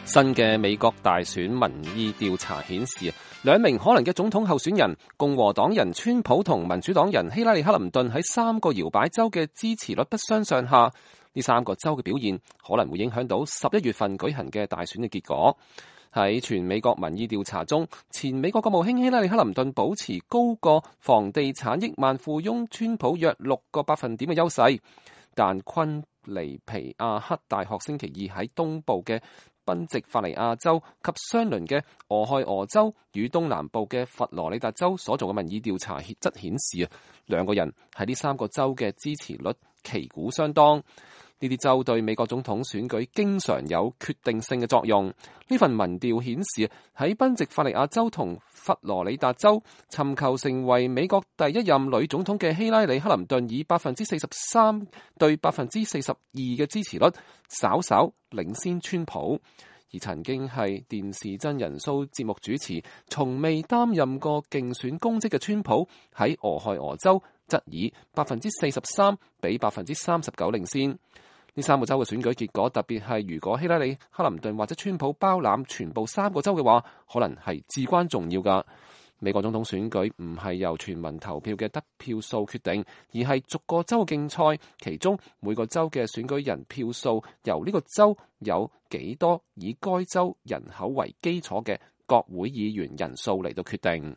新嘅美國大選民意調查顯示，兩名可能嘅總統候選人共和黨人川普同民主黨人希拉里克林頓喺3個搖擺州嘅支持率不相上下。呢3個州嘅表現可能會影響到11月份舉行嘅大選嘅結果。喺全美國民意調查中，前美國國務卿希拉里克林頓保持高過房地產億萬富翁川普約6個百分點嘅優勢，但昆尼皮亞克大學星期二喺東部嘅賓夕法尼亞州及相鄰嘅俄亥俄州與東南部嘅佛羅里達州所做嘅民意調查則顯示，兩個人喺呢3個州嘅支持率旗鼓相當。呢啲州對美國總統選舉經常有決定性嘅作用。呢份民調顯示，喺賓夕法尼亞州同佛羅里達州，尋求成為美國第一任女總統嘅希拉里克林頓以43%對42%嘅支持率，稍稍領先川普。而曾經係電視真人 show 節目主持，從未擔任過競選公職嘅川普，喺俄亥俄州則以43%比39%領先。呢3個州嘅選舉結果，特別係如果希拉里克林頓或者川普包攬全部3個州嘅話，可能係至關重要㗎。美國總統選舉唔係由全民投票嘅得票數決定，而係逐個州競賽，其中每個州嘅選舉人票數由呢個州有幾多以該州人口為基礎嘅國會議員人數嚟到決定。